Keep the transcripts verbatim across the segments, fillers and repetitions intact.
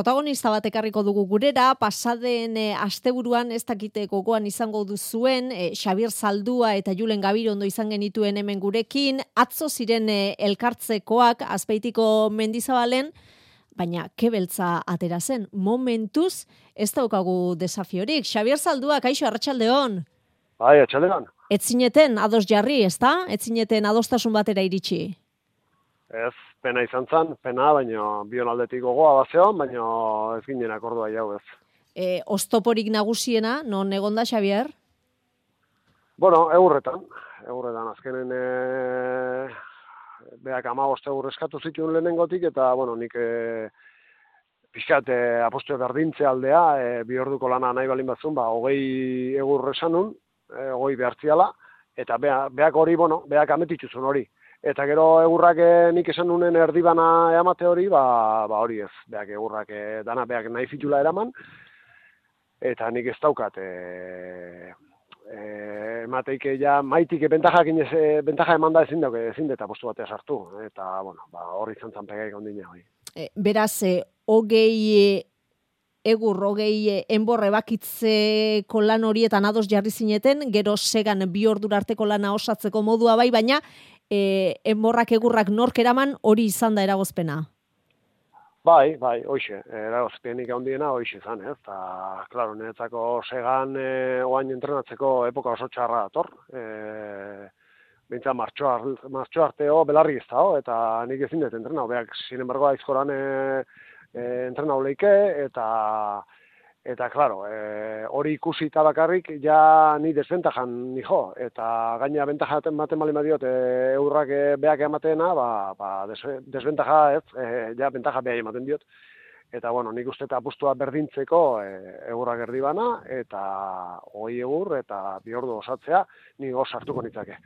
Protagonista bat ekarriko dugu gurera, pasaden e, asteburuan ez dakite gogoan izango duzuen, e, Xabier Zaldua eta Julen Gabirondo izan genituen hemen gurekin, atzo ziren e, elkartzekoak Azpeitiko Mendizabalen, baina kebeltza atera zen, momentuz ez daukagu desafiorik. Xabier Zaldua, kaixo, arratsaldeon. Bai, arratsaldeon. Ez zineten ados jarri, ezta? Ez zineten adostasun batera iritsi? Ez, pena izan zen, pena, baina bion aldetik gogoa bazeon, baina ez ginen akordua jau ez. E, oztoporik nagusiena, non egonda, Xabier? Bueno, eurretan, eurretan, azkenen e, beak amabost eur eskatu zituen lehenengotik, eta, bueno, nik e, pixkat e, apostu berdintze aldea, e, bi orduko lana nahi balin batzun, ba, hogei eur esanun, e, hogei behartziala, eta beak, beak hori, bueno, beak ametituzun hori. Eta gero egurrak nik esan nunen erdibana eamate hori, ba, ba hori ez, beak egurrak dana beak nahi fitula eraman, eta nik ez daukat, e, e, emateik ja maitik bentajak inez, bentaja eman da ezin dauke, ezin deta postu batea sartu, eta bueno, ba, hori izan zan pegaik ondina hori. E, beraz, e, hogei egur, hogei enborre bakitzeko lan horietan ados jarri zineten, gero segan bi ordura arteko lana osatzeko modua bai, baina E, enborrak egurrak nork eraman hori izan da eragozpena? Bai, bai, hoixe, eragozpenik handiena hoixe izan, ez? Eta, klaro, niretzako segan e, oain entrenatzeko epoka oso txarra dator. E, Bintza martxo arteo belarri ez da, eta nik ezin dut entrenau. Beak, sin embargo, aizkoran e, e, entrenau leike, eta Eta, klaro, e, hori ikusi eta bakarrik, ja ni desbentajan nijo, eta gaina bentaja ematen bali madiot, e, eurrak e, beak emateena, ba, ba des, desbentaja ez, e, ja bentaja beha ematen diot. Eta, bueno, nik uste eta apustua berdintzeko e, eurrak erdibana, eta hogei egur, eta bi ordu osatzea, ni goz hartuko nitzake.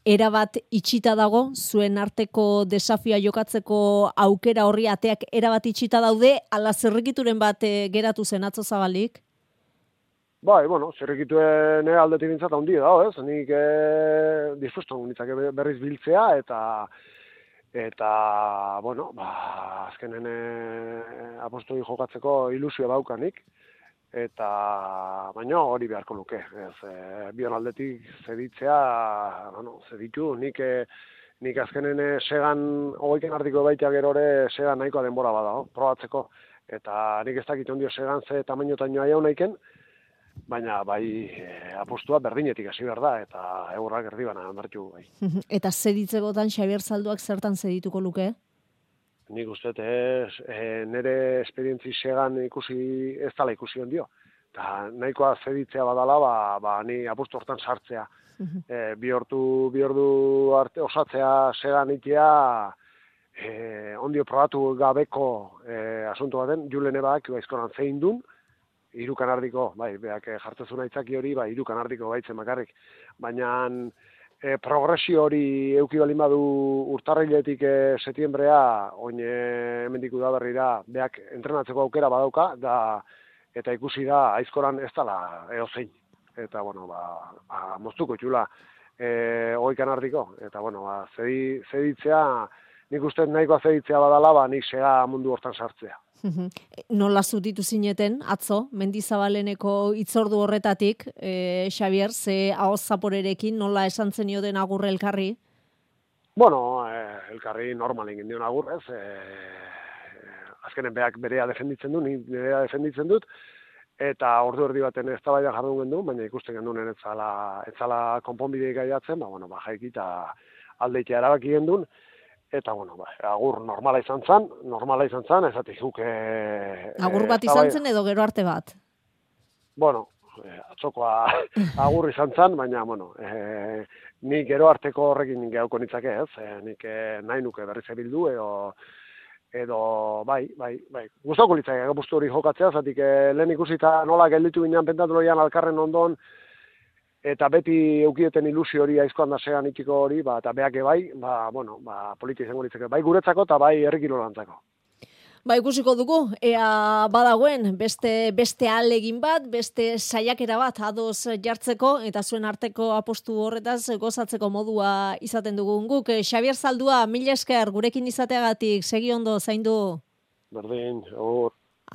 Erabat itxita dago, zuen arteko desafioa jokatzeko aukera horri ateak erabat itxita daude, ala zerrikituren bat geratu zen atzo Zabalik? Bai, bueno, zerrikituen aldetik bintzat handi dago, ez? Nik e, disfrusto nitzake berriz biltzea, eta eta, bueno, ba, azkenen e, apostu jokatzeko ilusio daukanik. Eta, baina hori beharko luke, ez, e, bion aldetik zeditzea, bueno, zeditu, nik, e, nik azkenen e, segan, hogeiten ardiko baita gerore, segan nahikoa denbora bada, oh, probatzeko, eta nik ez dakit ondio segan ze tamainotan joa jau nahiken, baina bai e, apostua berdinetik hasi behar da, eta eurrak erdibana emertu bai. Eta zeditzekotan Xabier Zalduak zertan zedituko luke? Nik uste ez, e, nire esperientzi segan ikusi, ez dala ikusi ondio. Eta nahikoa zeditzea badala, ba, ba ni apustu hortan sartzea. e, bi ordu, bi ordu arte osatzea segan itea, e, ondio probatu gabeko e, asunto baten, Julen ebak baizkoran zein dun, hiru kanardiko, bai, beak jartzezuna itzaki hori, bai, hiru kanardiko baitzen makarrik. Baina E, progresio hori euki balin badu urtarriletik e, setiembrea, oin e, hemendik udaberrira, beak entrenatzeko aukera badauka, da, eta ikusi da aizkoran ez dala eozein. Eta, bueno, ba, ba moztuko txula e, oikan ardiko. Eta, bueno, ba, zedi, zeditzea, nik uste nahikoa zeditzea badala, ba, nik sega mundu hortan sartzea. Nola zutitu zineten, atzo, Mendizabaleneko itzordu horretatik, e, Xabier, ze ahoz zaporerekin, nola esan zenioten agurre elkarri? Bueno, eh, elkarri normal egin dion agur, ez? Eh, azkenen beak berea defenditzen du, ni berea defenditzen dut, eta ordu erdi baten ez da baina jardun gendu, baina ikusten genduen ez zala, ez zala konponbideik gaiatzen, ba, bueno, ba, jaiki eta aldeitea erabaki gendun, eta, bueno, ba, agur normala izan zen, normala izan zen, ezatik guk... E, agur bat izan zen edo gero arte bat? Bueno, e, atzokoa agur izan zen, baina, bueno, e, nik gero arteko horrekin gehauko nitzake ez, e, nik e, nahi nuke berriz ebildu, edo, edo, bai, bai, bai, guztoko litzake, gapuztu hori jokatzea, zatik e, lehen ikusita nola gelditu ginen pentatuloian alkarren ondon, eta beti eukieten ilusio hori aizkoan da segan itxiko hori, ba, eta beake bai, ba, bueno, ba, politia izango litzake, bai guretzako eta bai herrikirolantzako. Ba, ikusiko dugu, ea badagoen, beste, beste alegin bat, beste saiakera bat ados jartzeko, eta zuen arteko apostu horretaz gozatzeko modua izaten dugun guk. Xabier Zaldua, mila esker gurekin izateagatik, segi ondo, zaindu. berdin, hor,